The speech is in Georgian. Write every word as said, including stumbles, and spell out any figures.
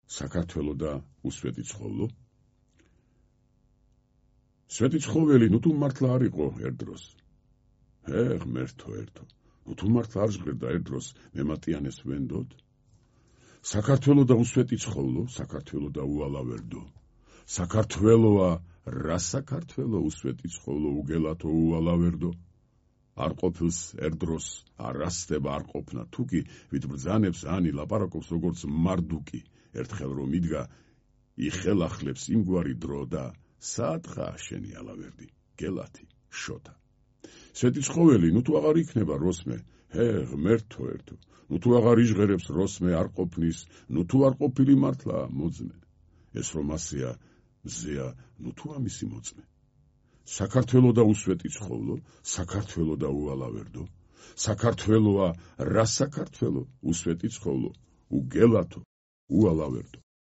საქართველო და უსვეტი ცხოვლო. სვეტი ცხოველი ნუ თუ მართლა არ იყო ერთ დროს. ჰე, ღმერთო ერთო, ნუ თუ მართლა არ ჟღერდა ერთ დროს მემატიანეს ვენდოდ. საქართველო და უსვეტი ცხოვლო, საქართველო და უალავერდო. საქართველოა რა საქართველო უსვეტი ცხოვლო უგელათო უალავერდო. არ ყოფილს ერთ დროს არ ასდება არ ყოფნა თუკი, ვით ბრძანებს ანი ლაპარაკობს როგორც მარდუკი, ერთხელ რომ იდგა იხელახლებს იმგვარი დრო და საათხა შენი ალავერდი, გელათი, შოთა. სვეტი ცხოველი ნუ თუ აღარ იქნება როსმე, ჰე, ღმერთო ერთო, ნუ თუ აღარ იჟღერებს როსმე არ ყოფნის, ნუ თუ არ ყოფილი მართლა მოძმე. ეს რომ ასეა, მზეა, ნუ თუ ამისი მოწმე. საქართველო და უსვეტი ცხოვლო, საქართველო და უალავერდო. საქართველოა რა საქართველო უსვეტი ცხოვლო, უგელათო, უალავერდო.